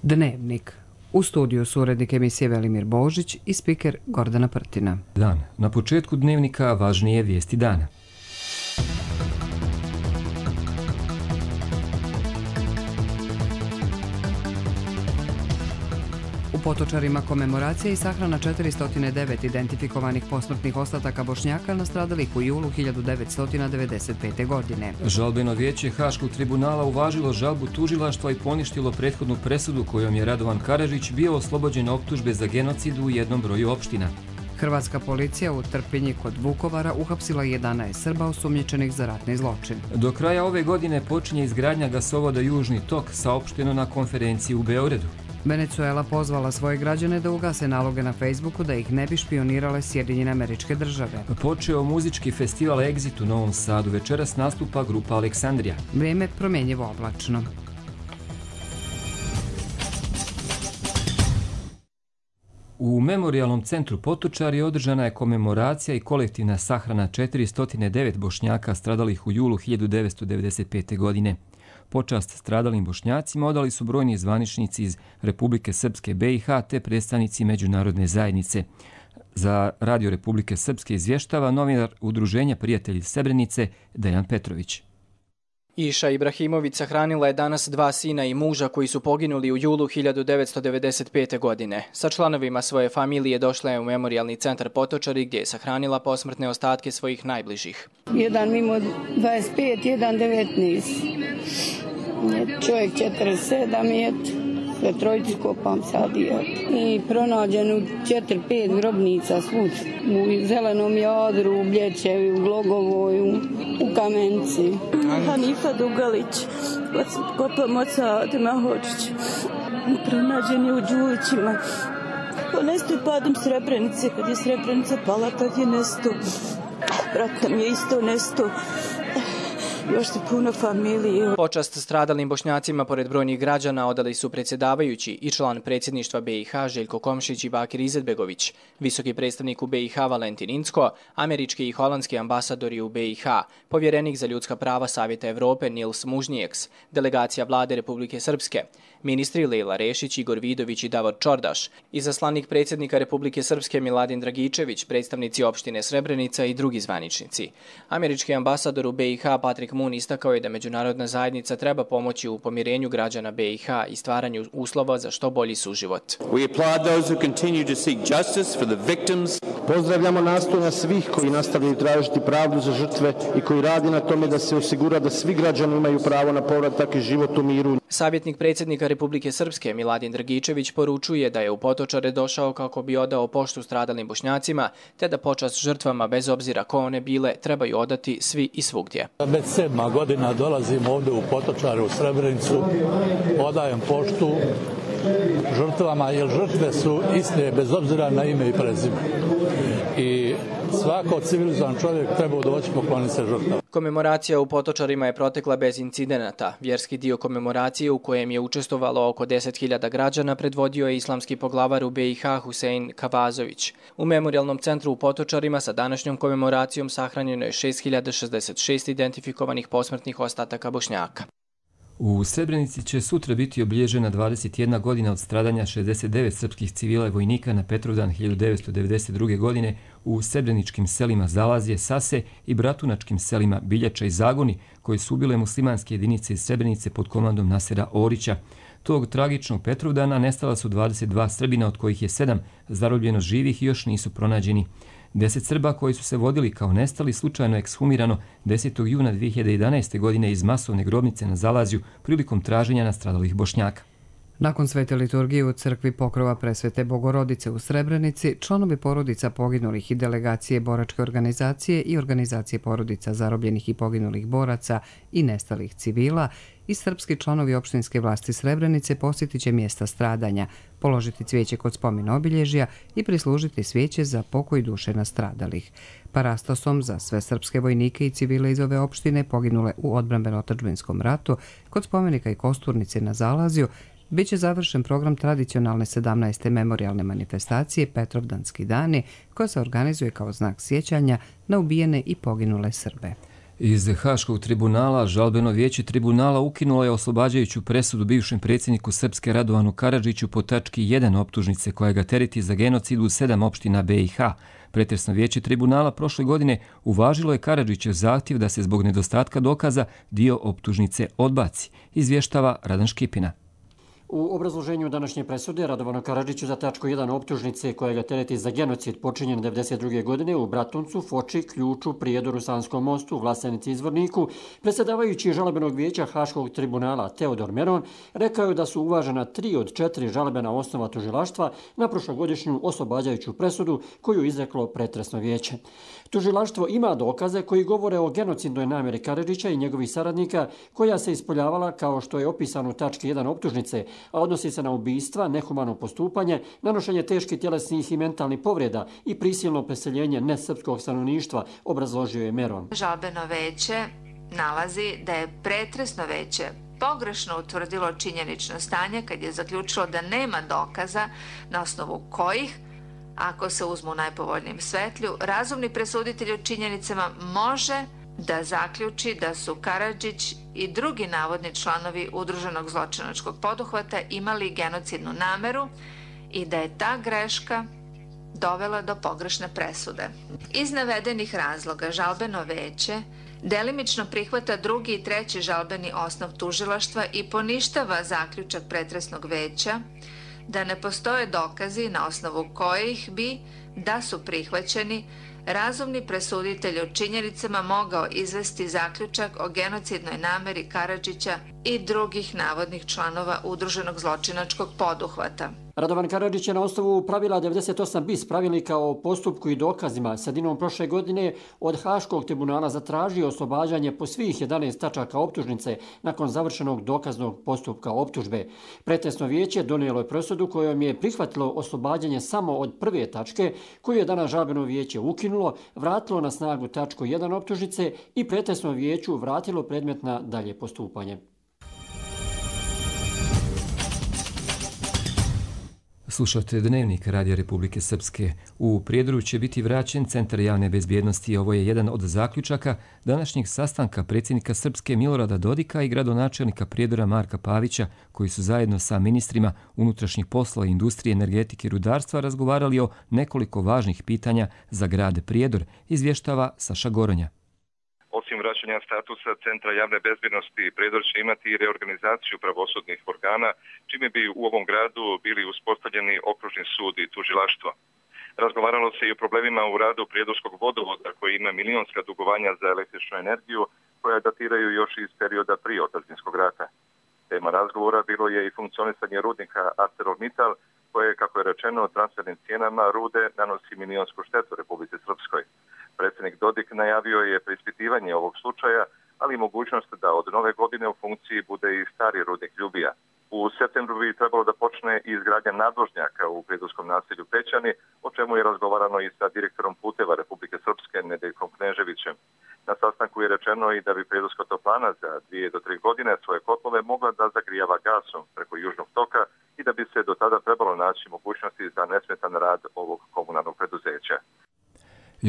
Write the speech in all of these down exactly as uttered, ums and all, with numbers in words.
Dnevnik. U studiju su urednik emisije Velimir Božić i spiker Gordana Prtina. Dan. Na početku dnevnika važnije vijesti dana. U Potočarima komemoracija i sahrana četiristo devet identifikovanih posmrtnih ostataka Bošnjaka nastradalih u julu hiljadu devetsto devedeset pete. godine. Žalbeno vijeće Haškog tribunala uvažilo žalbu tužilaštva i poništilo prethodnu presudu kojom je Radovan Karadžić bio oslobođen optužbe za genocid u jednom broju opština. Hrvatska policija u Trpinji kod Vukovara uhapsila jedanaest Srba osumnjičenih za ratni zločin. Do kraja ove godine počinje izgradnja gasovoda Južni tok, saopšteno na konferenciji u Beogradu. Venezuela pozvala svoje građane da ugase naloge na Facebooku da ih ne bi špionirale Sjedinjene Američke Države. Počeo muzički festival Exit u Novom Sadu. Večeras nastupa grupa Aleksandrija. Vrijeme promjenjivo oblačno. U Memorijalnom centru Potočari održana je komemoracija i kolektivna sahrana četiristo devet Bošnjaka stradalih u julu hiljadu devetsto devedeset pete. godine. Počast stradalim Bošnjacima odali su brojni zvaničnici iz Republike Srpske, B i H te predstavnici međunarodne zajednice. Za Radio Republike Srpske izvještava novinar Udruženja prijatelji Srebrenice Dejan Petrović. Iša Ibrahimović sahranila je danas dva sina i muža koji su poginuli u julu hiljadu devetsto devedeset pete. godine. Sa članovima svoje familije došla je u Memorijalni centar Potočari gdje je sahranila posmrtne ostatke svojih najbližih. Jedan mimo dvadeset pet, jedan devetnaest. Čovjek četrdeset sedam je, sve trojicu kopam sad je. I pronađen u četiri pet grobnica svud. U Zelenom Jadru, u Bljećevi, u Glogovoj, u, u Kamenci. Hanifa Dugalić, kopam oca Temahočić. Pronađen je u Đulićima. On nesto je padom Srebrenice, kad je Srebrenica pala, tad je nesto. Brat nam je isto nesto. Još se puno familije. Počast stradalim Bošnjacima pored brojnih građana odali su predsjedavajući i član predsjedništva B i H Željko Komšić i Bakir Izetbegović, visoki predstavnik u B i H Valentin Incko, američki i holandski ambasadori u B i H, povjerenik za ljudska prava Savjeta Evrope Nils Mužnijeks, delegacija vlade Republike Srpske, ministri Lejla Rešić, Igor Vidović i Davor Čordaš, izaslanik predsjednika Republike Srpske Miladin Dragičević, predstavnici opštine Srebrenica i drugi zvaničnici. Američki ambasador u B i H Patrik Mun istakao je da međunarodna zajednica treba pomoći u pomirenju građana B i H i stvaranju uslova za što bolji suživot. We applaud those who continue to seek justice for the victims. Pozdravljamo nastojanja svih koji nastavljaju tražiti pravdu za žrtve i koji radi na tome da se osigura da svi građani imaju pravo na povratak i život u miru. Savjetnik predsjednika Republike Srpske Miladin Dragičević poručuje da je u Potočare došao kako bi odao poštu stradalim Bošnjacima, te da počast žrtvama bez obzira ko one bile trebaju odati svi i svugdje. Već sedma godina dolazim ovdje u Potočare u Srebrenicu, odajem poštu žrtvama, jer žrtve su iste bez obzira na ime i prezime. I svako civilizovan čovjek treba doći pokloniti se žrtvama. Komemoracija u Potočarima je protekla bez incidenata. Vjerski dio komemoracije u kojem je učestvovalo oko deset hiljada građana predvodio je islamski poglavar u B i H Husein Kavazović. U Memorijalnom centru u Potočarima sa današnjom komemoracijom sahranjeno je šest hiljada šezdeset šest identifikovanih posmrtnih ostataka Bošnjaka. U Srebrenici će sutra biti obilježena dvadeset jedna godina od stradanja šezdeset devet srpskih civila i vojnika na Petrovdan hiljadu devetsto devedeset druge. godine u srebreničkim selima Zalazje, Sase i bratunačkim selima Biljača i Zagoni, koji su ubile muslimanske jedinice iz Srebrenice pod komandom Nasera Orića. Tog tragičnog Petrovdana nestala su dvadeset dva Srbina, od kojih je sedam zarobljeno živih i još nisu pronađeni. Deset Srba koji su se vodili kao nestali slučajno ekshumirano desetog juna dvije hiljade jedanaeste. godine iz masovne grobnice na Zalazju prilikom traženja nastradalih Bošnjaka. Nakon svete liturgije u crkvi Pokrova Presvete Bogorodice u Srebrenici, članovi porodica poginulih i delegacije boračke organizacije i organizacije porodica zarobljenih i poginulih boraca i nestalih civila i srpski članovi opštinske vlasti Srebrenice posjetit će mjesta stradanja, položiti cvijeće kod spomen obilježja i prislužiti svijeće za pokoj duše nastradalih. Parastosom za sve srpske vojnike i civile iz ove opštine poginule u odbrambeno-otadžbinskom ratu kod spomenika i kosturnice na Zalazju biće završen program tradicionalne sedamnaeste memorijalne manifestacije Petrovdanski dani, koja se organizuje kao znak sjećanja na ubijene i poginule Srbe. Iz Haškog tribunala žalbeno vijeće tribunala ukinulo je oslobađajuću presudu bivšem predsjedniku Srpske Radovanu Karadžiću po tački jedan optužnice koja ga tereti za genocid u sedam opština B i H. Pretresno vijeće tribunala prošle godine uvažilo je Karadžićev zahtjev da se zbog nedostatka dokaza dio optužnice odbaci, izvještava Radan Škipina. U obrazloženju današnje presude Radovanu Karadžiću za tačku jedan optužnice koja ga tereti za genocid počinjen devedeset druge godine u Bratuncu, Foči, Ključu, Prijedoru, Sanskom mostu, Vlasenici, Izvorniku, predsjedavajući žalbenog vijeća Haškog tribunala Teodor Meron rekao je da su uvažena tri od četiri žalbena osnova tužilaštva na prošlogodišnju oslobađajuću presudu koju izreklo pretresno vijeće. Tužilaštvo ima dokaze koji govore o genocidnoj namjeri Karadžića i njegovih saradnika koja se ispoljavala kao što je opisano u tački jedan optužnice, a odnosi se na ubistva, nehumano postupanje, nanošenje teških tjelesnih i mentalnih povreda i prisilno preseljenje nesrpskog stanovništva, obrazložio je Meron. Žalbeno veće nalazi da je pretresno veće pogrešno utvrdilo činjenično stanje kad je zaključilo da nema dokaza na osnovu kojih, ako se uzmu u najpovoljnijem svetlju, razumni presuditelj u činjenicama može da zaključi da su Karadžić i drugi navodni članovi udruženog zločinačkog poduhvata imali genocidnu nameru i da je ta greška dovela do pogrešne presude. Iz navedenih razloga žalbeno veće delimično prihvata drugi i treći žalbeni osnov tužilaštva i poništava zaključak pretresnog veća da ne postoje dokazi na osnovu kojih bi, da su prihvaćeni, razumni presuditelj o činjenicama mogao izvesti zaključak o genocidnoj nameri Karadžića i drugih navodnih članova udruženog zločinačkog poduhvata. Radovan Karadžić je na osnovu pravila devedeset osam bis pravilnika o postupku i dokazima sredinom prošle godine od Haškog tribunala zatražio oslobađanje po svih jedanaest tačaka optužnice nakon završenog dokaznog postupka optužbe. Pretresno vijeće donijelo je presudu kojom je prihvatilo oslobađanje samo od prve tačke koju je danas žalbeno vijeće ukinulo, vratilo na snagu tačku jedan optužnice i pretresno vijeću vratilo predmet na dalje postupanje. Slušate Dnevnik Radija Republike Srpske. U Prijedoru će biti vraćen Centar javne bezbjednosti. Ovo je jedan od zaključaka današnjeg sastanka predsjednika Srpske Milorada Dodika i gradonačelnika Prijedora Marka Pavića, koji su zajedno sa ministrima unutrašnjih poslova, industrije, energetike i rudarstva razgovarali o nekoliko važnih pitanja za grad Prijedor, izvještava Saša Goronja. Osim vraćanja statusa Centra javne bezbjednosti, Prijedor će imati i reorganizaciju pravosudnih organa, čime bi u ovom gradu bili uspostavljeni okružni sud i tužilaštvo. Razgovaralo se i o problemima u radu Prijedorskog vodovoda, koji ima milionska dugovanja za električnu energiju, koja datiraju još iz perioda prije Otadžbinskog rata. Tema razgovora bilo je i funkcionisanje rudnika ArcelorMittal, koje, kako je rečeno, transfernim cijenama rude nanosi milionsku štetu Republici Srpskoj. Predsjednik Dodik najavio je preispitivanje ovog slučaja, ali i mogućnost da od nove godine u funkciji bude i stari rudnik Ljubija. U septembru bi trebalo da počne i izgradnja nadvožnjaka u prijedorskom naselju Pećani, o čemu je razgovarano i sa direktorom puteva Republike Srpske Nedeljkom Kneževićem. Na sastanku je rečeno i da bi prijedorska toplana za dvije do tri godine svoje kotlove mogla da zagrijava gasom preko južnog toka i da bi se do tada trebalo naći mogućnosti za nesmetan rad ovog komunalnog preduzeća.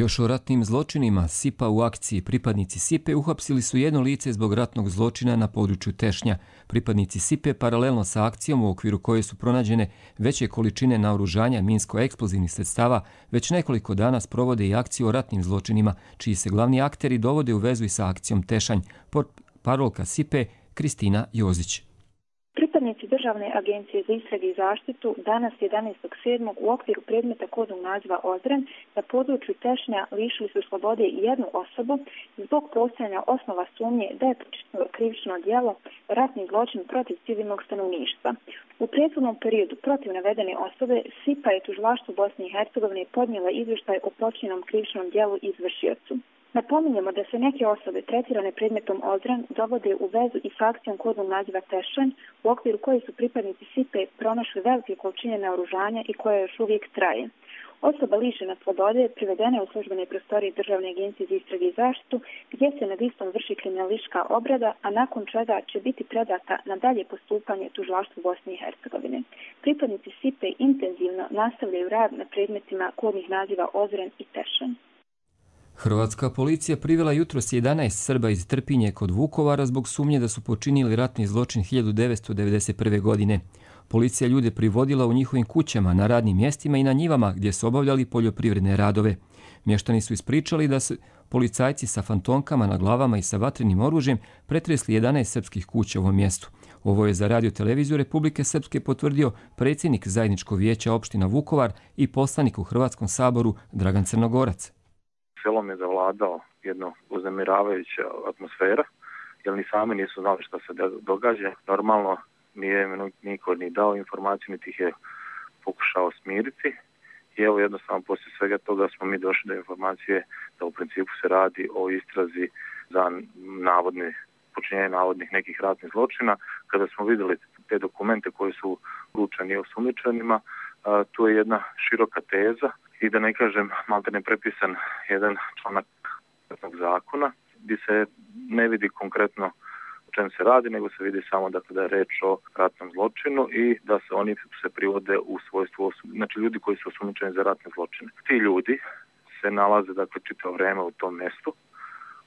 Još o ratnim zločinima S I P-a u akciji. Pripadnici S I P-e uhapsili su jedno lice zbog ratnog zločina na području Tešnja. Pripadnici S I P-e paralelno sa akcijom u okviru koje su pronađene veće količine naoružanja minsko-eksplozivnih sredstava već nekoliko dana sprovode i akciju o ratnim zločinima, čiji se glavni akteri dovode u vezu i sa akcijom Tešanj. Parolka S I P-e Kristina Jozić. Pripadnici Državne agencije za istrage i zaštitu danas jedanaestog sedmog u okviru predmeta kodnog naziva Ozren na području Tešnja lišili su slobode jednu osobu zbog postojanja osnova sumnje da je počinilo krivično djelo ratni zločin protiv civilnog stanovništva. U prethodnom periodu protiv navedene osobe S I P-a je tužilaštvo Bosne i Hercegovine podnijela izvještaj o počinjenom krivičnom djelu izvršiocu. Napominjemo da se neke osobe tretirane predmetom Ozren dovode u vezu i s akcijom kodnog naziva Tešanj, u okviru koje su pripadnici S I P-e pronašli velike količine naoružanja i koja još uvijek traje. Osoba lišena slobode privedena je u službene prostorije Državne agencije za istrage i zaštitu, gdje se nad istom vrši kriminalistička obrada, a nakon čega će biti predata na dalje postupanje tužilaštvu Bosne i Hercegovine. Pripadnici S I P-e intenzivno nastavljaju rad na predmetima kodnih naziva Ozren i Tešanj. Hrvatska policija privela jutros jedanaest Srba iz Trpinje kod Vukovara zbog sumnje da su počinili ratni zločin hiljadu devetsto devedeset prve. godine. Policija ljude privodila u njihovim kućama, na radnim mjestima i na njivama gdje su obavljali poljoprivredne radove. Mještani su ispričali da su policajci sa fantomkama na glavama i sa vatrenim oružjem pretresli jedanaest srpskih kuća u ovom mjestu. Ovo je za Radio-televiziju Republike Srpske potvrdio predsjednik Zajedničkog vijeća opština Vukovar i poslanik u Hrvatskom saboru Dragan Crnogorac. Selom je zavladao jedna uznemiravajuća atmosfera, jer ni sami nisu znali što se događa. Normalno nije niko ni dao informaciju, niti ih je pokušao smiriti. I evo jednostavno poslije svega toga smo mi došli do informacije da u principu se radi o istrazi za navodni, počinjenje navodnih nekih ratnih zločina. Kada smo vidjeli te dokumente koji su uručeni osumnjičenima, tu je jedna široka teza i da ne kažem maltene prepisan jedan članak zakona gdje se ne vidi konkretno o čem se radi, nego se vidi samo dakle, da je reč o ratnom zločinu i da se oni se privode u svojstvu, znači ljudi koji su osumnjičeni za ratne zločine. Ti ljudi se nalaze dakle čitavo vrijeme u tom mjestu.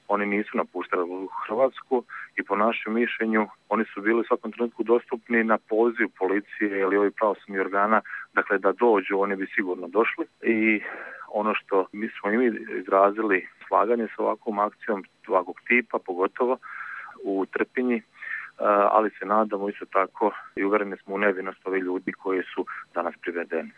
Oni nisu napuštali Hrvatsku i po našem mišljenju oni su bili u svakom trenutku dostupni na poziv policije ili ovih pravosudnih organa, dakle da dođu, oni bi sigurno došli. I ono što mi smo im izrazili slaganje sa ovakvom akcijom ovakvog tipa, pogotovo u Trpinji, ali se nadamo isto tako i uvjereni smo u nevinost ovih ljudi koji su danas privedeni.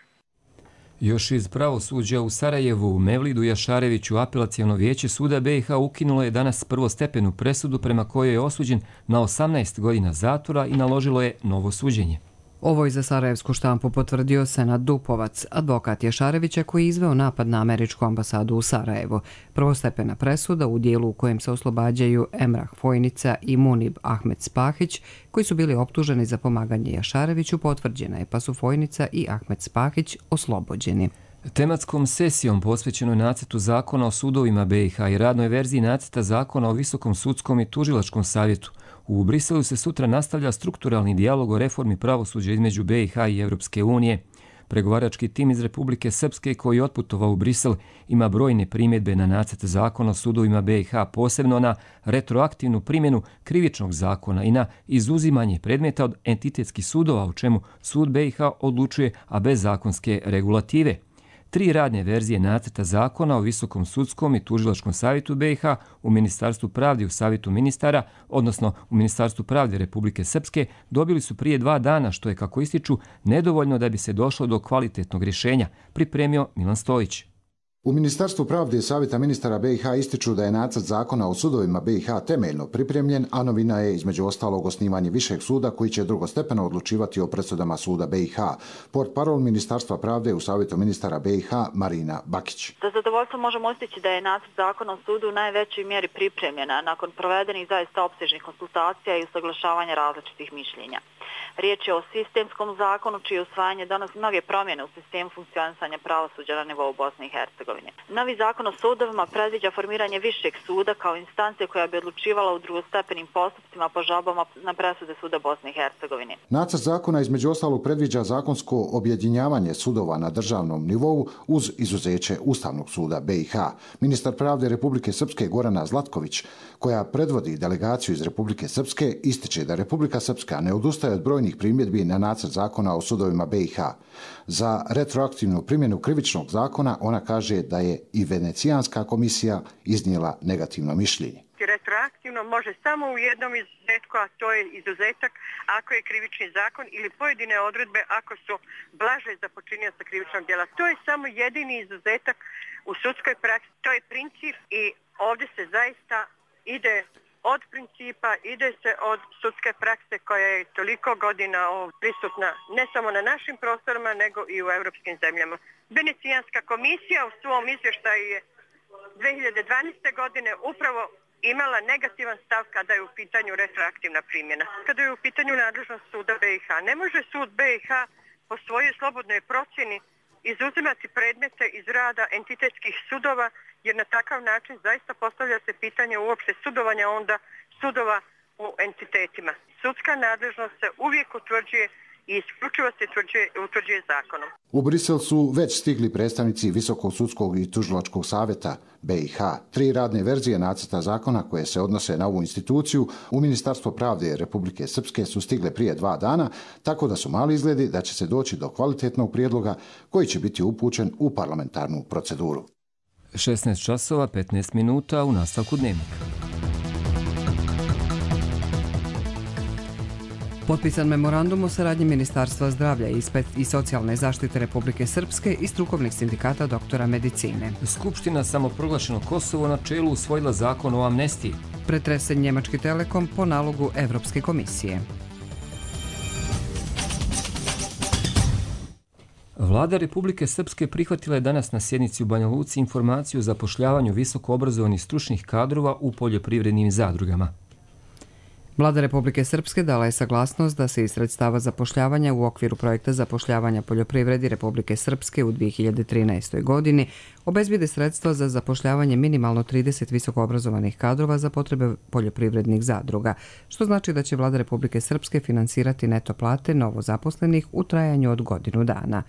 Još iz pravosuđa u Sarajevu, Mevlidu Jašareviću apelaciono vijeće suda B i H ukinulo je danas prvostepenu presudu prema kojoj je osuđen na osamnaest godina zatvora i naložilo je novo suđenje. Ovo je za sarajevsku štampu potvrdio Senad Dupovac, advokat Jašarevića koji je izveo napad na američku ambasadu u Sarajevu. Prvostepena presuda u dijelu u kojem se oslobađaju Emrah Fojnica i Munib Ahmed Spahić, koji su bili optuženi za pomaganje Jašareviću, potvrđena je, pa su Fojnica i Ahmed Spahić oslobođeni. Tematskom sesijom posvećenoj nacrtu zakona o sudovima B i H i radnoj verziji nacrta zakona o Visokom sudskom i tužilačkom savjetu u Briselu se sutra nastavlja strukturalni dijalog o reformi pravosuđa između B i H i Europske unije. Pregovarački tim iz Republike Srpske koji je otputovao u Brisel ima brojne primjedbe na nacrt zakona o sudovima B i H, posebno na retroaktivnu primjenu krivičnog zakona i na izuzimanje predmeta od entitetskih sudova, u čemu sud B i H odlučuje, a bez zakonske regulative. Tri radne verzije nacrta zakona o Visokom sudskom i tužilačkom savjetu B i H u Ministarstvu pravde i u Savjetu ministara, odnosno u Ministarstvu pravde Republike Srpske, dobili su prije dva dana, što je, kako ističu, nedovoljno da bi se došlo do kvalitetnog rješenja, pripremio Milan Stojić. U Ministarstvu pravde i Savjeta ministara B i H ističu da je nacrt zakona o sudovima B i H temeljno pripremljen, a novina je između ostalog osnivanje višeg suda koji će drugostepeno odlučivati o presudama suda B i H. Portparol Ministarstva pravde u Savjetu ministara B i H Marina Bakić. Za zadovoljstvo možemo istići da je nacrt zakona o sudu u najvećoj mjeri pripremljena nakon provedenih zaista opsežnih konsultacija i usaglašavanja različitih mišljenja. Riječ je o sistemskom zakonu čije usvajanje donosi mnoge promjene u sistemu funkcionisanja pravosuđa na nivou Bosne i Hercegovine. Novi zakon o sudovima predviđa formiranje višeg suda kao instancije koja bi odlučivala u drugostepenim postupcima po žalbama na presude suda Bosne i Hercegovine. Nacrt zakona između ostalog predviđa zakonsko objedinjavanje sudova na državnom nivou uz izuzeće Ustavnog suda B i H. Ministar pravde Republike Srpske Gorana Zlatković, koja predvodi delegaciju iz Republike Srpske, ističe da Republika Srpska ne odustaje od brojnih primjedbi na nacrt zakona o sudovima B i H. Za retroaktivnu primjenu krivičnog zakona ona kaže da je i Venecijanska komisija iznijela negativno mišljenje. Retroaktivno može samo u jednom izuzetku, a to je izuzetak ako je krivični zakon ili pojedine odredbe ako su blaže za počinioca krivičnog djela. To je samo jedini izuzetak u sudskoj praksi. To je princip i ovdje se zaista ide od principa, ide se od sudske prakse koja je toliko godina prisutna ne samo na našim prostorima nego i u europskim zemljama. Venecijanska komisija u svom izvještaju je dvije hiljade dvanaeste. godine upravo imala negativan stav kada je u pitanju retroaktivna primjena. Kada je u pitanju nadležnost suda B i H. Ne može sud B i H po svojoj slobodnoj procjeni izuzimati predmete iz rada entitetskih sudova, jer na takav način zaista postavlja se pitanje uopšte sudovanja onda sudova u entitetima. Sudska nadležnost se uvijek utvrđuje i isključivo se utvrđuje, utvrđuje zakonom. U Brisel su već stigli predstavnici Visokog sudskog i tužilačkog savjeta B i H. Tri radne verzije nacrta zakona koje se odnose na ovu instituciju u Ministarstvo pravde Republike Srpske su stigle prije dva dana, tako da su mali izgledi da će se doći do kvalitetnog prijedloga koji će biti upućen u parlamentarnu proceduru. šesnaest časova petnaest minuta u nastavku dnevnika. Potpisan memorandum o saradnji Ministarstva zdravlja i socijalne zaštite Republike Srpske i strukovnih sindikata doktora medicine. Skupština samoproglašeno Kosovo na čelu usvojila zakon o amnestiji. Pretresen Njemački Telekom po nalogu Evropske komisije. Vlada Republike Srpske prihvatila je danas na sjednici u Banja Luci informaciju o zapošljavanju visoko obrazovanih stručnih kadrova u poljoprivrednim zadrugama. Vlada Republike Srpske dala je saglasnost da se iz sredstava zapošljavanja u okviru projekta zapošljavanja poljoprivredi Republike Srpske u dvije hiljade trinaestoj. godini obezbijede sredstva za zapošljavanje minimalno trideset visokoobrazovanih kadrova za potrebe poljoprivrednih zadruga, što znači da će Vlada Republike Srpske finansirati neto plate novozaposlenih u trajanju od godinu dana.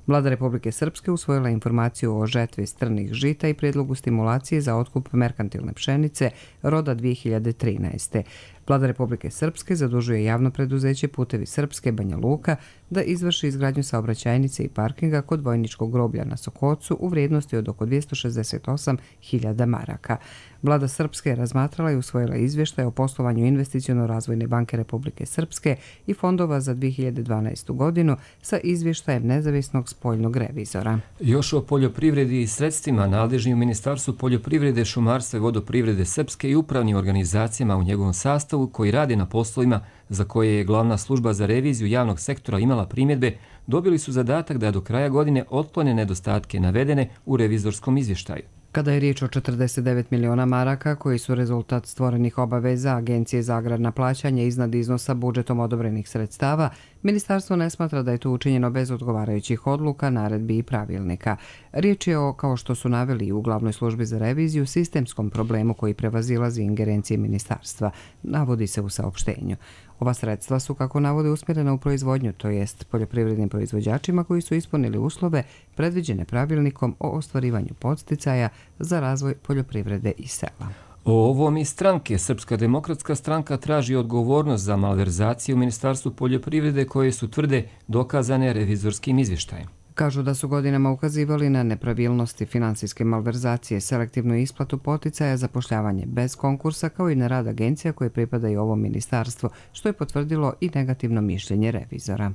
Vlada Republike Srpske usvojila informaciju o žetvi strnih žita i prijedlogu stimulacije za otkup merkantilne pšenice roda dvije hiljade trinaeste. Vlada Republike Srpske zadužuje javno preduzeće Putevi Srpske Banja Luka da izvrši izgradnju saobraćajnice i parkinga kod vojničkog groblja na Sokocu u vrijednosti od oko dvjesto šezdeset osam hiljada maraka. Vlada Srpske je razmatrala i usvojila izvještaj o poslovanju Investiciono-razvojne banke Republike Srpske i fondova za dvije hiljade dvanaestu. godinu sa izvještajem nezavisnog spoljnog revizora. Još o poljoprivredi i sredstvima nadležni u Ministarstvu poljoprivrede, šumarstva i vodoprivrede Srpske i upravnim organizacijama u njegovom sastavu koji rade na poslovima za koje je glavna služba za reviziju javnog sektora imala primjedbe, dobili su zadatak da do kraja godine otklone nedostatke navedene u revizorskom izvještaju. Kada je riječ o četrdeset devet miliona maraka koji su rezultat stvorenih obaveza Agencije za agrarna plaćanja iznad iznosa budžetom odobrenih sredstava, ministarstvo ne smatra da je to učinjeno bez odgovarajućih odluka, naredbi i pravilnika. Riječ je o, kao što su naveli u glavnoj službi za reviziju, sistemskom problemu koji prevazilazi ingerencije ministarstva, navodi se u saopštenju. Ova sredstva su, kako navode, usmjerena u proizvodnju, to jest poljoprivrednim proizvođačima koji su ispunili uslove predviđene pravilnikom o ostvarivanju podsticaja za razvoj poljoprivrede i sela. O ovom i stranke Srpska demokratska stranka traži odgovornost za malverzacije u Ministarstvu poljoprivrede koje su tvrde dokazane revizorskim izvještajem. Kažu da su godinama ukazivali na nepravilnosti, finansijske malverzacije, selektivnu isplatu poticaja, zapošljavanje bez konkursa, kao i na rad agencija koje pripadaju ovom ministarstvu, što je potvrdilo i negativno mišljenje revizora.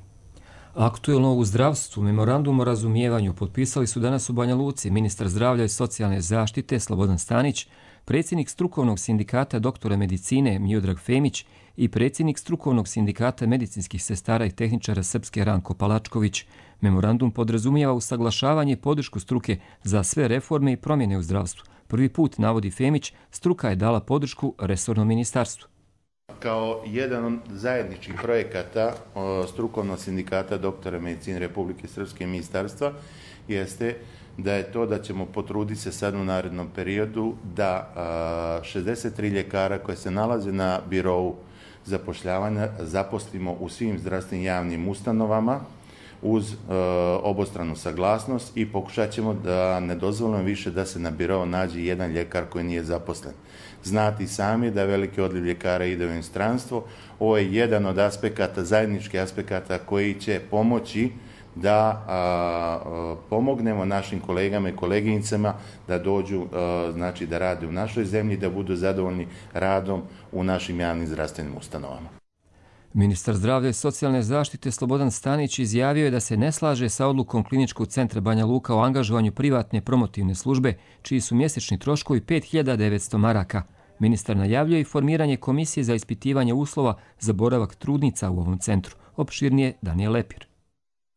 Aktuelno u zdravstvu memorandum o razumijevanju potpisali su danas u Banja Luci ministar zdravlja i socijalne zaštite Slobodan Stanić, predsjednik strukovnog sindikata doktora medicine Miodrag Femić i predsjednik strukovnog sindikata medicinskih sestara i tehničara Srpske Ranko Palačković. Memorandum podrazumijeva usaglašavanje i podršku struke za sve reforme i promjene u zdravstvu. Prvi put, navodi Femić, struka je dala podršku resornom ministarstvu. Kao jedan od zajedničkih projekata strukovnog sindikata doktora medicine Republike Srpske i ministarstva jeste da je to da ćemo potruditi se sad u narednom periodu da šezdeset tri ljekara koje se nalaze na birou zapošljavanja zaposlimo u svim zdravstvenim javnim ustanovama uz e, obostranu saglasnost i pokušat ćemo da ne dozvolimo više da se na birou nađe jedan ljekar koji nije zaposlen. Znati sami da veliki odliv ljekara ide u inostranstvo. Ovo je jedan od aspekata, zajedničkih aspekata koji će pomoći da a, a, pomognemo našim kolegama i koleginicama da dođu, a, znači da rade u našoj zemlji, da budu zadovoljni radom u našim javnim zdravstvenim ustanovama. Ministar zdravlja i socijalne zaštite Slobodan Stanić izjavio je da se ne slaže sa odlukom Kliničkog centra Banja Luka o angažovanju privatne promotivne službe, čiji su mjesečni troškovi pet hiljada devetsto maraka. Ministar najavljuje i formiranje komisije za ispitivanje uslova za boravak trudnica u ovom centru. Opširnije Danijel Lepir.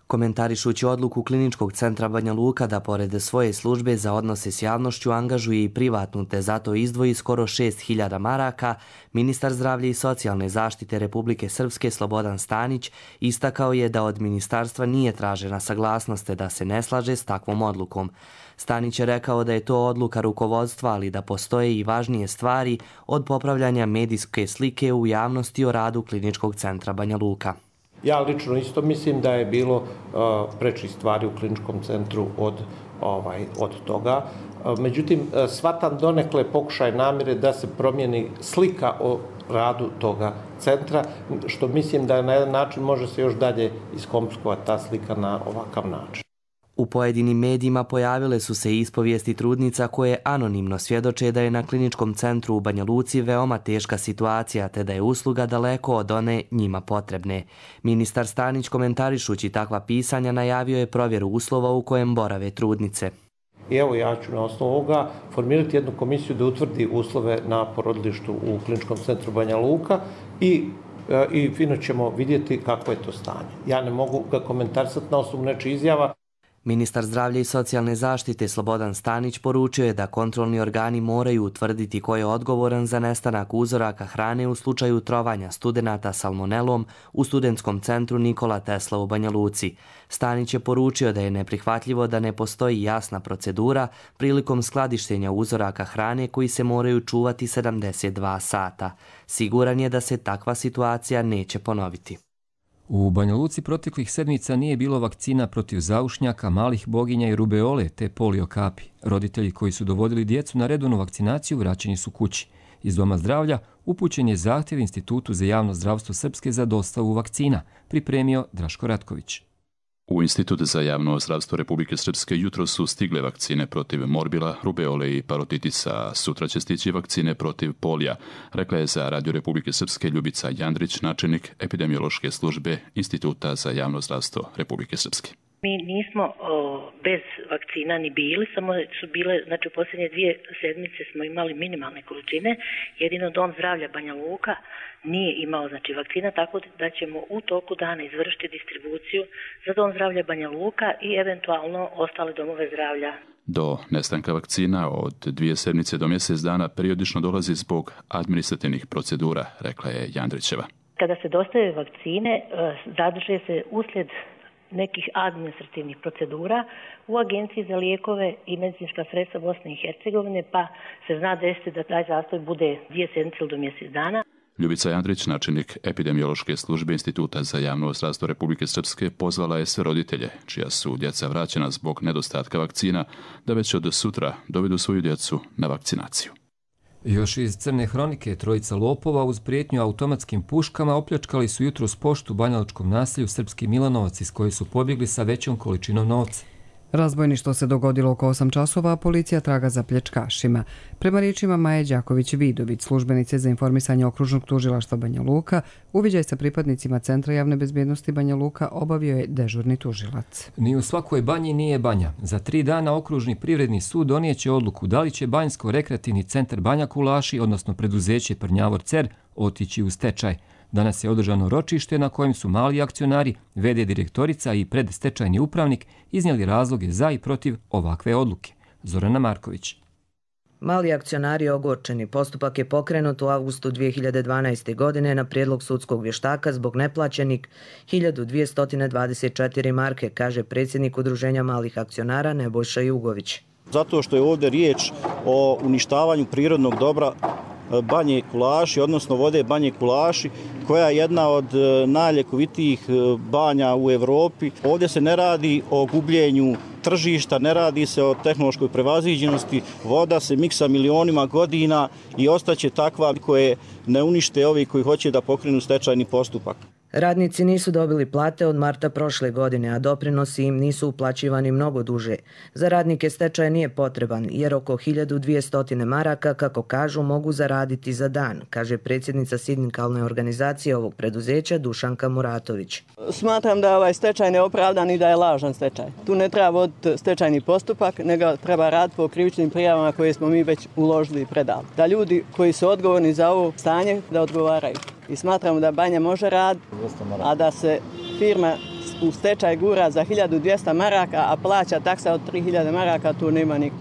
Komentarišući odluku Kliničkog centra Banja Luka da pored svoje službe za odnose s javnošću angažuje i privatnu te zato izdvoji skoro šest hiljada maraka, ministar zdravlja i socijalne zaštite Republike Srpske Slobodan Stanić istakao je da od ministarstva nije tražena saglasnost da se ne slaže s takvom odlukom. Stanić je rekao da je to odluka rukovodstva, ali da postoje i važnije stvari od popravljanja medijske slike u javnosti o radu Kliničkog centra Banja Luka. Ja lično isto mislim da je bilo prečih stvari u kliničkom centru od, ovaj, od toga. Međutim, shvatam donekle pokušaj namjere da se promijeni slika o radu toga centra, što mislim da na jedan način može se još dalje iskomplikovati ta slika na ovakav način. U pojedinim medijima pojavile su se ispovijesti trudnica koje anonimno svjedoče da je na kliničkom centru u Banja Luci veoma teška situacija te da je usluga daleko od one njima potrebne. Ministar Stanić komentarišući takva pisanja najavio je provjeru uslova u kojem borave trudnice. I evo ja ću na osnovu ovoga formirati jednu komisiju da utvrdi uslove na porodilištu u kliničkom centru Banja Luka i i fino ćemo vidjeti kako je to stanje. Ja ne mogu ga komentarisati na osnovu nečih izjava. Ministar zdravlja i socijalne zaštite Slobodan Stanić poručio je da kontrolni organi moraju utvrditi ko je odgovoran za nestanak uzoraka hrane u slučaju trovanja studenata salmonelom u studentskom centru Nikola Tesla u Banja Luci. Stanić je poručio da je neprihvatljivo da ne postoji jasna procedura prilikom skladištenja uzoraka hrane koji se moraju čuvati sedamdeset dva sata. Siguran je da se takva situacija neće ponoviti. U Banja Luci proteklih sedmica nije bilo vakcina protiv zaušnjaka, malih boginja i rubeole te polio kapi. Roditelji koji su dovodili djecu na redovnu vakcinaciju vraćeni su kući. Iz Doma zdravlja upućen je zahtjev Institutu za javno zdravstvo Srpske za dostavu vakcina, pripremio Draško Ratković. U Institut za javno zdravstvo Republike Srpske jutro su stigle vakcine protiv morbila, rubeole i parotitisa. Sutra će stići vakcine protiv polija, rekla je za Radio Republike Srpske Ljubica Jandrić, načelnik epidemiološke službe Instituta za javno zdravstvo Republike Srpske. Mi nismo o, bez vakcina ni bili, samo su bile, znači u posljednje dvije sedmice smo imali minimalne količine, jedino Dom zdravlja Banja Luka nije imao znači vakcina, tako da ćemo u toku dana izvršiti distribuciju za Dom zdravlja Banja Luka i eventualno ostale domove zdravlja. Do nestanka vakcina od dvije sedmice do mjesec dana periodično dolazi zbog administrativnih procedura, rekla je Jandrićeva. Kada se dostave vakcine, zadrže se uslijed nekih administrativnih procedura u Agenciji za lijekove i medicinska sredstva Bosne i Hercegovine, pa se zna desiti da taj zastoj bude dvije sedmice ili do mjesec dana. Ljubica Jandrić, načelnik epidemiološke službe Instituta za javno zdravstvo Republike Srpske, pozvala je sve roditelje, čija su djeca vraćena zbog nedostatka vakcina, da već od sutra dovedu svoju djecu na vakcinaciju. Još iz crne hronike, trojica lopova uz prijetnju automatskim puškama opljačkali su jutros poštu u banjalučkom naselju Srpski Milanovac iz koje su pobjegli sa većom količinom novca. Razbojništvo se dogodilo oko osam časova, a policija traga za pljačkašima. Prema riječima Maje Đaković-Vidović, službenice za informisanje okružnog tužilaštva Banja Luka, uviđaj sa pripadnicima Centra javne bezbjednosti Banja Luka obavio je dežurni tužilac. Ni u svakoj banji nije banja. Za tri dana okružni privredni sud donijeće odluku da li će Banjsko-rekreativni centar Banja Kulaši, odnosno preduzeće Prnjavor Cer, otići u stečaj. Danas je održano ročište na kojem su mali akcionari, ve de direktorica i predstečajni upravnik iznijeli razloge za i protiv ovakve odluke. Zorana Marković. Mali akcionari ogorčeni. Postupak je pokrenut u avgustu dvije hiljade dvanaeste. godine na prijedlog sudskog vještaka zbog neplaćenih hiljadu dvjesto dvadeset četiri marke, kaže predsjednik Udruženja malih akcionara Nebojša Jugović. Zato što je ovdje riječ o uništavanju prirodnog dobra Banje Kulaši, odnosno vode Banje Kulaši, koja je jedna od najljekovitijih banja u Evropi. Ovdje se ne radi o gubljenju tržišta, ne radi se o tehnološkoj prevaziđenosti. Voda se miksa milionima godina i ostaće takva koje ne unište ovi koji hoće da pokrenu stečajni postupak. Radnici nisu dobili plate od marta prošle godine, a doprinosi im nisu uplaćivani mnogo duže. Za radnike stečaj nije potreban, jer oko hiljadu dvjesto maraka, kako kažu, mogu zaraditi za dan, kaže predsjednica sindikalne organizacije ovog preduzeća Dušanka Muratović. Smatram da je ovaj stečaj neopravdan i da je lažan stečaj. Tu ne treba voditi stečajni postupak, nego treba raditi po krivičnim prijavama koje smo mi već uložili i predali. Da ljudi koji su odgovorni za ovo stanje da odgovaraju. I smatramo da banja može raditi, a da se firma u stečaj gura za hiljadu dvjesto maraka, a plaća taksa od tri hiljade maraka, tu nema niko.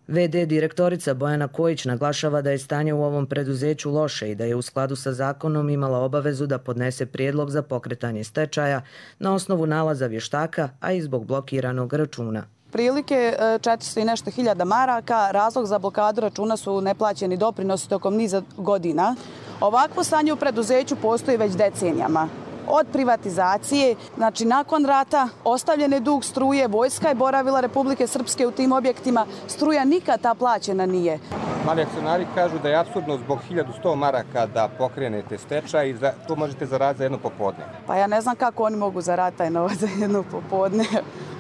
ve de direktorica Bojana Kojić naglašava da je stanje u ovom preduzeću loše i da je u skladu sa zakonom imala obavezu da podnese prijedlog za pokretanje stečaja na osnovu nalaza vještaka, a i zbog blokiranog računa. Prilike četiristo i nešto hiljada maraka, razlog za blokadu računa su neplaćeni doprinosi tokom niza godina. Ovakvo stanje u preduzeću postoji već decenijama. od privatizacije, znači nakon rata ostavljen je dug struje, vojska je boravila Republike Srpske u tim objektima, struja nikad ta plaćena nije. Mali akcionari kažu da je apsurdno zbog hiljadu sto maraka da pokrenete stečaj i za, to možete zaraditi za jedno popodne. Pa ja ne znam kako oni mogu zaraditi taj novac za jedno popodne,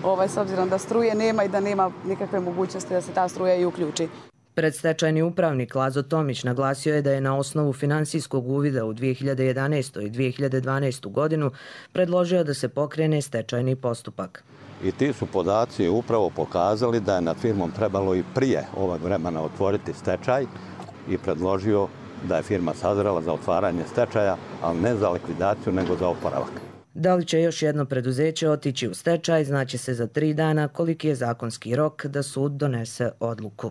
ovaj, s obzirom da struje nema i da nema nikakve mogućnosti da se ta struja i uključi. Predstečajni upravnik Lazo Tomić naglasio je da je na osnovu finansijskog uvida u dvije hiljade jedanaestu. i dvije hiljade dvanaestu. godinu predložio da se pokrene stečajni postupak. I ti su podaci upravo pokazali da je nad firmom trebalo i prije ovog vremena otvoriti stečaj i predložio da je firma sazrela za otvaranje stečaja, ali ne za likvidaciju nego za oporavak. Da li će još jedno preduzeće otići u stečaj, znači se za tri dana koliki je zakonski rok da sud donese odluku.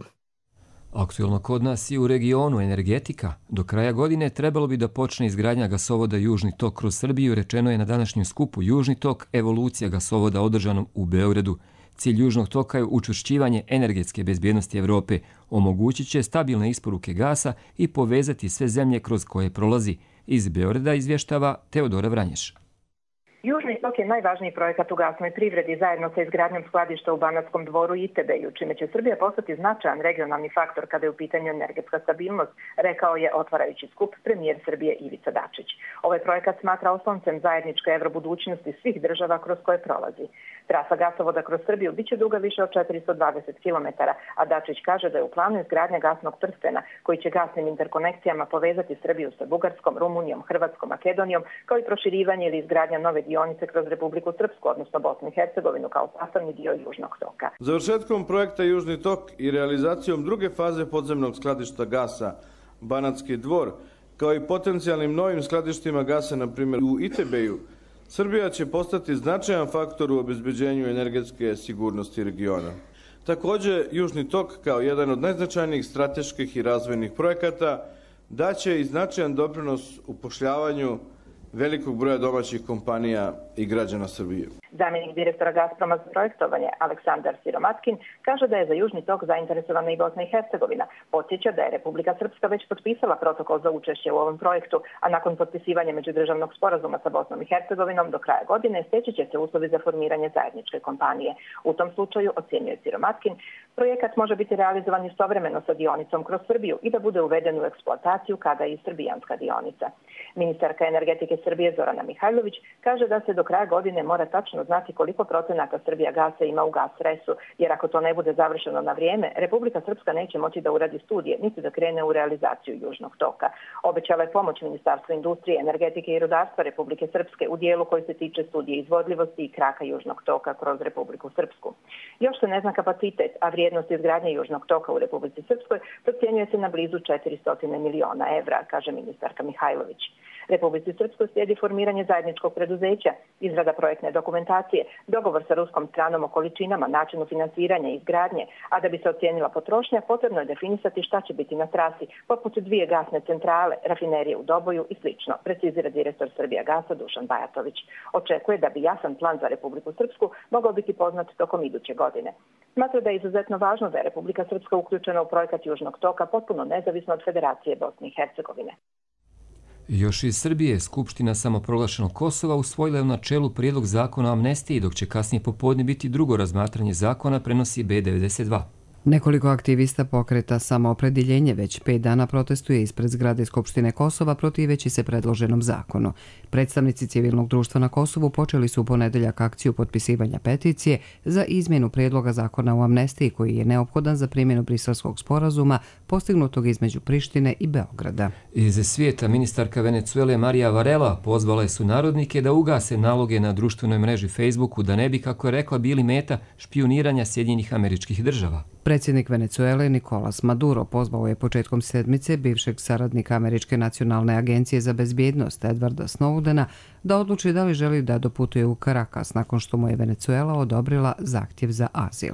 Aktuelno kod nas i u regionu energetika. Do kraja godine trebalo bi da počne izgradnja gasovoda Južni tok kroz Srbiju, rečeno je na današnjem skupu Južni tok, evolucija gasovoda održanom u Beogradu. Cilj Južnog toka je učvršćivanje energetske bezbjednosti Evrope, omogućit će stabilne isporuke gasa i povezati sve zemlje kroz koje prolazi. Iz Beograda izvještava Teodora Vranješ. Južni tok je najvažniji projekat u gasnoj privredi zajedno sa izgradnjom skladišta u Banatskom dvoru i Itebeju, čime će Srbija postati značajan regionalni faktor kada je u pitanju energetska stabilnost, rekao je otvarajući skup premijer Srbije Ivica Dačić. Ovaj projekat smatra osloncem zajedničke evrobudućnosti svih država kroz koje prolazi. Trasa gasovoda kroz Srbiju biće duga više od četiristo dvadeset kilometara, a Dačić kaže da je u planu izgradnja gasnog prstena koji će gasnim interkonekcijama povezati Srbiju sa Bugarskom, Rumunijom, Hrvatskom, Makedonijom, kao i proširivanje ili izgradnja nove dionice kroz Republiku Srpsku, odnosno Bosnu i Hercegovinu kao sastavni dio Južnog toka. Završetkom projekta Južni tok i realizacijom druge faze podzemnog skladišta gasa Banatski dvor, kao i potencijalnim novim skladištima gasa, na primjer u Itebeju, Srbija će postati značajan faktor u obezbeđenju energetske sigurnosti regiona. Također, Južni tok, kao jedan od najznačajnijih strateških i razvojnih projekata, daće i značajan doprinos upošljavanju velikog broja domaćih kompanija i građana Srbije. Zamjenik direktora Gazproma za projektovanje Aleksandar Siromatkin kaže da je za Južni tok zainteresovana i Bosna i Hercegovina. Podsjeća da je Republika Srpska već potpisala protokol za učešće u ovom projektu, a nakon potpisivanja međudržavnog sporazuma sa Bosnom i Hercegovinom do kraja godine steći će se uslovi za formiranje zajedničke kompanije. U tom slučaju, ocjenjuje Siromatkin, projekat može biti realizovan istovremeno sa dionicom kroz Srbiju i da bude uveden u eksploataciju kada i srbijanska dionica. Ministarka energetike Srbije Zorana Mihajlović kaže da se do kraja godine mora tačno znati koliko procenata Srbija gasa ima u Gasresu, jer ako to ne bude završeno na vrijeme, Republika Srpska neće moći da uradi studije, niti da krene u realizaciju Južnog toka. Obećala je pomoć Ministarstva industrije, energetike i rudarstva Republike Srpske u dijelu koji se tiče studije izvodljivosti i kraka Južnog toka kroz Republiku Srpsku. Još se ne zna kapacitet, a vrijednost izgradnje Južnog toka u Republici Srpskoj procjenjuje se na blizu četiristo miliona evra, kaže ministarka Mihajlović. Republici Srpskoj slijedi formiranje zajedničkog preduzeća, izrada projektne dokumentacije, dogovor sa ruskom stranom o količinama, načinu finansiranja i izgradnje, a da bi se ocijenila potrošnja, potrebno je definisati šta će biti na trasi, poput dvije gasne centrale, rafinerije u Doboju i slično, precizira direktor Srbija gasa Dušan Bajatović. Očekuje da bi jasan plan za Republiku Srpsku mogao biti poznat tokom iduće godine. Smatra da je izuzetno važno da je Republika Srpska uključena u projekat Južnog toka potpuno nezavisno od Federacije Bosne i Hercegovine. Još iz Srbije, Skupština samoproglašenog Kosova usvojila je u načelu prijedlog zakona o amnestiji, dok će kasnije popodne biti drugo razmatranje zakona, prenosi B devedeset dva. Nekoliko aktivista pokreta Samoopredjeljenje već pet dana protestuje ispred zgrade Skupštine Kosova protiveći se predloženom zakonu. Predstavnici civilnog društva na Kosovu počeli su u ponedeljak akciju potpisivanja peticije za izmjenu prijedloga zakona o amnestiji koji je neophodan za primjenu Briselskog sporazuma postignutog između Prištine i Beograda. Iz svijeta ministarka Venecuele Marija Varela pozvala je sunarodnike da ugase naloge na društvenoj mreži Facebooku da ne bi, kako je rekla, bili meta špijuniranja Sjedinjenih Američkih Država. Predsjednik Venecuele Nicolas Maduro pozvao je početkom sedmice bivšeg saradnika Američke nacionalne agencije za bezbjednost Edwarda Snowdena da odluči da li želi da doputuje u Caracas nakon što mu je Venecuela odobrila zahtjev za azil.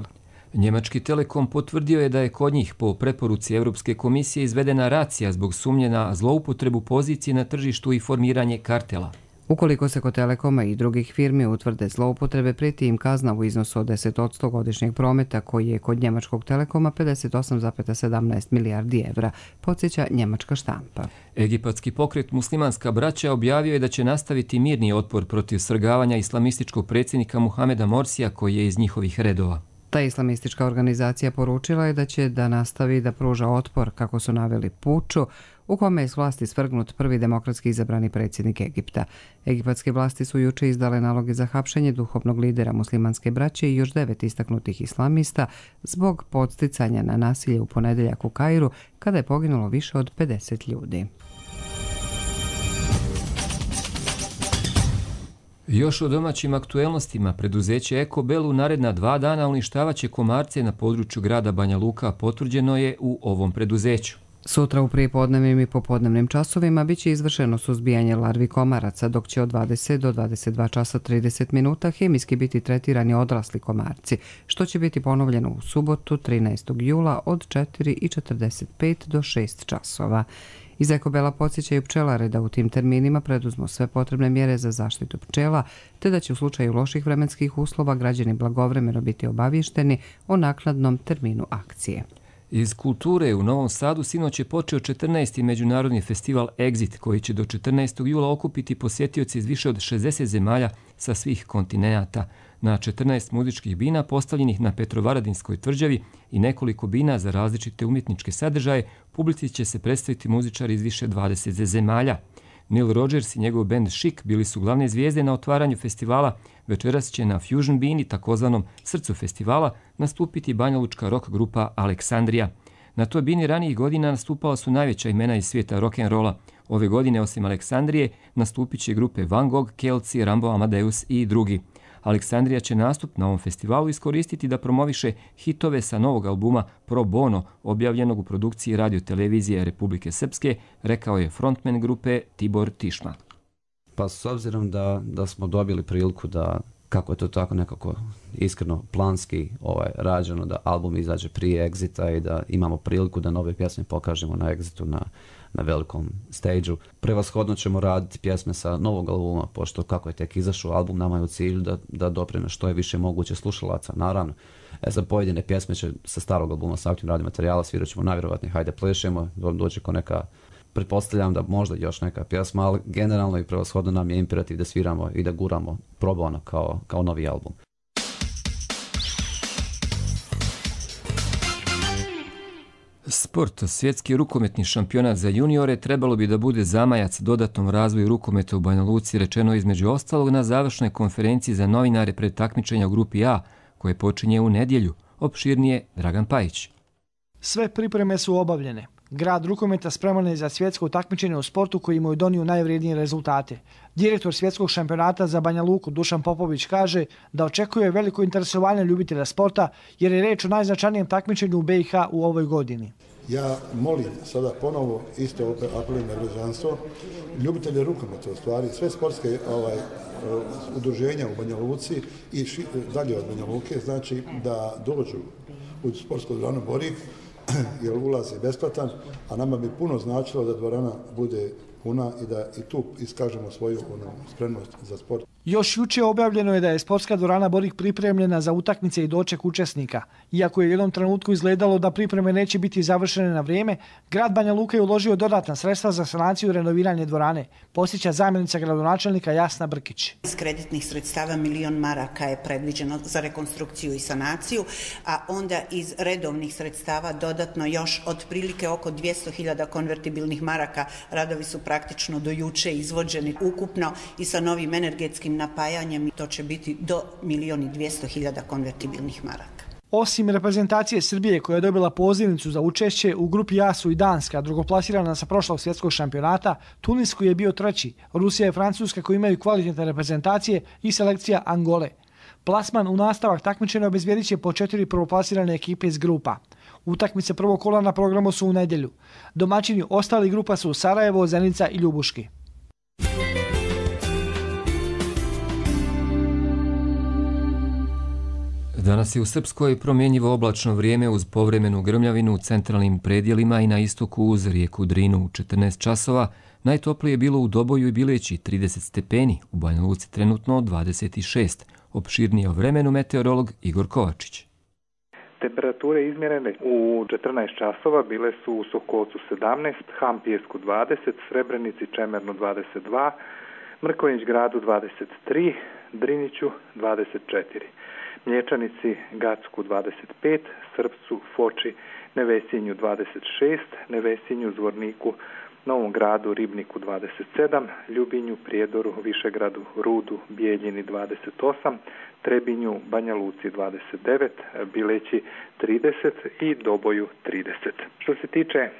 Njemački Telekom potvrdio je da je kod njih po preporuci Europske komisije izvedena racija zbog sumnje na zloupotrebu pozicije na tržištu i formiranje kartela. Ukoliko se kod Telekoma i drugih firmi utvrde zloupotrebe, prijeti im kazna u iznosu od deset posto godišnjeg prometa, koji je kod njemačkog Telekoma pedeset osam zarez sedamnaest milijardi evra, podsjeća njemačka štampa. Egipatski pokret Muslimanska braća objavio je da će nastaviti mirni otpor protiv svrgavanja islamističkog predsjednika Muhameda Morsija, koji je iz njihovih redova. Ta islamistička organizacija poručila je da će da nastavi da pruža otpor, kako su naveli, puču, u kome je s vlasti svrgnut prvi demokratski izabrani predsjednik Egipta. Egipatske vlasti su juče izdale naloge za hapšenje duhovnog lidera muslimanske braće i još devet istaknutih islamista zbog podsticanja na nasilje u ponedeljak u Kairu, kada je poginulo više od pedeset ljudi. Još o domaćim aktuelnostima, preduzeće Ekobel u naredna dva dana uništavaće komarce na području grada Banja Luka, potvrđeno je u ovom preduzeću. Sutra u prijepodnevnim i popodnevnim časovima biće izvršeno suzbijanje larvi komaraca, dok će od dvadeset do dvadeset dva časa trideset minuta hemijski biti tretirani odrasli komarci, što će biti ponovljeno u subotu trinaestog jula od četiri i četrdeset pet do šest časova. Iz Ekobela podsjećaju pčelare da u tim terminima preduzmu sve potrebne mjere za zaštitu pčela, te da će u slučaju loših vremenskih uslova građani blagovremeno biti obavješteni o naknadnom terminu akcije. Iz kulture u Novom Sadu sinoć je počeo četrnaesti međunarodni festival Exit, koji će do četrnaestog jula okupiti posjetioci iz više od šezdeset zemalja sa svih kontinenata. Na četrnaest muzičkih bina postavljenih na Petrovaradinskoj tvrđavi i nekoliko bina za različite umjetničke sadržaje, publici će se predstaviti muzičari iz više dvadeset zemalja. Neil Rogers i njegov band Chic bili su glavne zvijezde na otvaranju festivala. Večeras će na Fusion Bini, takozvanom srcu festivala, nastupiti banjalučka rock grupa Aleksandrija. Na toj bini ranijih godina nastupala su najveća imena iz svijeta rock'n'rolla. Ove godine, osim Aleksandrije, nastupit će grupe Van Gogh, Kelci, Rambo Amadeus i drugi. Aleksandrija će nastup na ovom festivalu iskoristiti da promoviše hitove sa novog albuma Pro Bono, objavljenog u produkciji radiotelevizije Republike Srpske, rekao je frontman grupe Tibor Tišma. Pa s obzirom da, da smo dobili priliku da, kako je to tako nekako iskreno planski ovaj, rađeno, da album izađe prije Exita i da imamo priliku da nove pjesme pokažemo na Exitu na, na velikom stage-u. Prevashodno ćemo raditi pjesme sa novog albuma, pošto kako je tek izašao album, nama je u cilju da, da dopreme što je više moguće slušalaca, naravno. E za pojedine pjesme će sa starog albuma, sa aktivnim radnim materijala, svirat ćemo najvjerovatnije Hajde plešemo, dođe ko neka, pretpostavljam da možda još neka pjesma, ali generalno i prevashodno nam je imperativ da sviramo i da guramo Pro Bono kao, kao novi album. Sport, svjetski rukometni šampionat za juniore, trebalo bi da bude zamajac dodatnom razvoju rukometa u Banja Luci, rečeno između ostalog na završnoj konferenciji za novinare pred takmičenja u grupi A, koje počinje u nedjelju. Opširnije Dragan Pajić. Sve pripreme su obavljene. Grad rukometa spreman je za svjetsko takmičenje u sportu koji mu je donio najvrijednije rezultate. Direktor svjetskog šampionata za Banja Luku Dušan Popović kaže da očekuje veliko interesovanje ljubitelja sporta jer je reč o najznačajnijem takmičenju u B i H u ovoj godini. Ja molim sada ponovo, isto apelujem na građanstvo, ljubitelje rukometa, u stvari sve sportske ovaj, udruženja u Banja Luci i ši, dalje od Banja Luke, znači da dođu u sportsku dvoranu Borik, jer ulaz je besplatan, a nama bi puno značilo da dvorana bude puna i da i tu iskažemo svoju ono, spremnost za sport. Još juče objavljeno je da je sportska dvorana Borik pripremljena za utakmice i doček učesnika. Iako je u jednom trenutku izgledalo da pripreme neće biti završene na vrijeme, grad Banja Luka je uložio dodatna sredstva za sanaciju i renoviranje dvorane, posjeća zamjenica gradonačelnika Jasna Brkić. Iz kreditnih sredstava milion maraka je predviđeno za rekonstrukciju i sanaciju, a onda iz redovnih sredstava dodatno još otprilike oko dvjesto hiljada konvertibilnih maraka. Radovi su praktično do juče izvođeni ukupno i sa novim energetskim napajanjem, to će biti do milion i dvjesto hiljada konvertibilnih maraka. Osim reprezentacije Srbije koja je dobila pozivnicu za učešće, u grupi A su i Danska, drugoplasirana sa prošlog svjetskog šampionata, Tunis koji je bio treći, Rusija i Francuska koji imaju kvalitetne reprezentacije i selekcija Angole. Plasman u nastavak takmičenja obezbijedit će po četiri prvoplasirane ekipe iz grupa. Utakmice prvog kola na programu su u nedjelju. Domaćini ostali grupa su Sarajevo, Zenica i Ljubuški. Danas je u Srpskoj promjenjivo oblačno vrijeme uz povremenu grmljavinu u centralnim predjelima i na istoku uz rijeku Drinu u četrnaest časova. Najtoplije je bilo u Doboju i Bileći trideset stepeni, u Banja Luci trenutno dvadeset šest. Opširnije o vremenu meteorolog Igor Kovačić. Temperature izmjerene u četrnaest časova bile su u Sokolcu sedamnaest, Hampijesku dvadeset, Srebrenici Čemernu dvadeset dva, Mrkonjić Gradu dvadeset tri, Driniću dvadeset četiri, Mlječanici Gacku dvadeset pet, Srpcu, Foči, Nevesinju dvadeset šest, Nevesinju, Zvorniku, Novom Gradu, Ribniku dvadeset sedam, Ljubinju, Prijedoru, Višegradu, Rudu, Bijeljini dvadeset osam, Trebinju, Banja Luci dvadeset devet, Bileći trideset i Doboju trideset. Što se tiče e,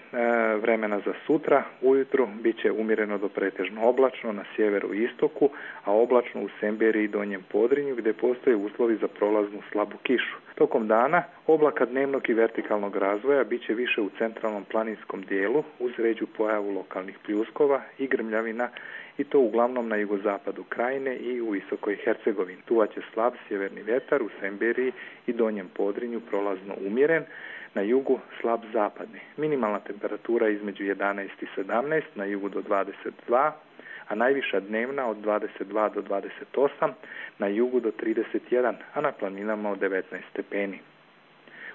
vremena za sutra, ujutru bit će umjereno do pretežno oblačno na sjeveru i istoku, a oblačno u Semberiji i Donjem Podrinju gdje postoje uslovi za prolaznu slabu kišu. Tokom dana oblaka dnevnog i vertikalnog razvoja bit će više u centralnom planinskom dijelu uz ređu pojavu lokalnih pljuskova i grmljavina i to uglavnom na jugozapadu krajine i u Visokoj Hercegovini. Duvaće slab sjeverni vjetar u Semberiji i Donjem Podrinju prolazno umjeren, na jugu slab zapadni. Minimalna temperatura između jedanaest i sedamnaest, na jugu do dvadeset dva, a najviša dnevna od dvadeset dva do dvadeset osam, na jugu do trideset jedan, a na planinama od devetnaest stepeni.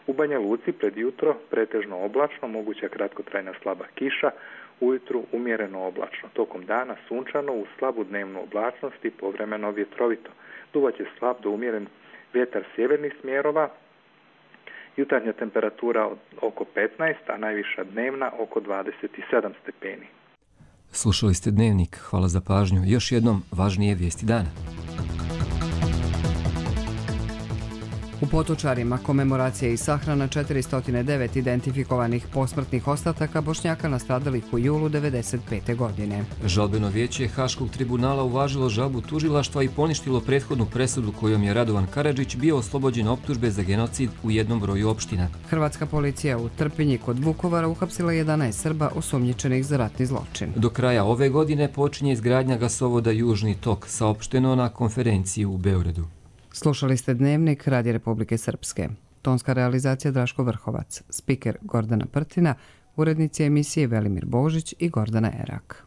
U Banja Luci pred jutro pretežno oblačno, moguća kratkotrajna slaba kiša, ujutru umjereno oblačno, tokom dana sunčano uz slabu dnevnu oblačnost i povremeno vjetrovito. Duvaće slab do umjeren vjetar sjevernih smjerova, jutarnja temperatura od oko petnaest, a najviša dnevna oko dvadeset sedam stepeni. Slušali ste Dnevnik, hvala za pažnju. Još jednom važnije vijesti dana. U Potočarima komemoracija i sahrana četiristo devet identifikovanih posmrtnih ostataka Bošnjaka nastradalih u julu devedeset pete. godine. Žalbeno vijeće Haškog tribunala uvažilo žalbu tužilaštva i poništilo prethodnu presudu kojom je Radovan Karadžić bio oslobođen optužbe za genocid u jednom broju opština. Hrvatska policija u Trpinji kod Vukovara uhapsila jedanaest Srba osumnjičenih za ratni zločin. Do kraja ove godine počinje izgradnja gasovoda Južni tok, saopšteno na konferenciji u Beogradu. Slušali ste Dnevnik Radija Republike Srpske. Tonska realizacija Draško Vrhovac, spiker Gordana Prtina, urednici emisije Velimir Božić i Gordana Erak.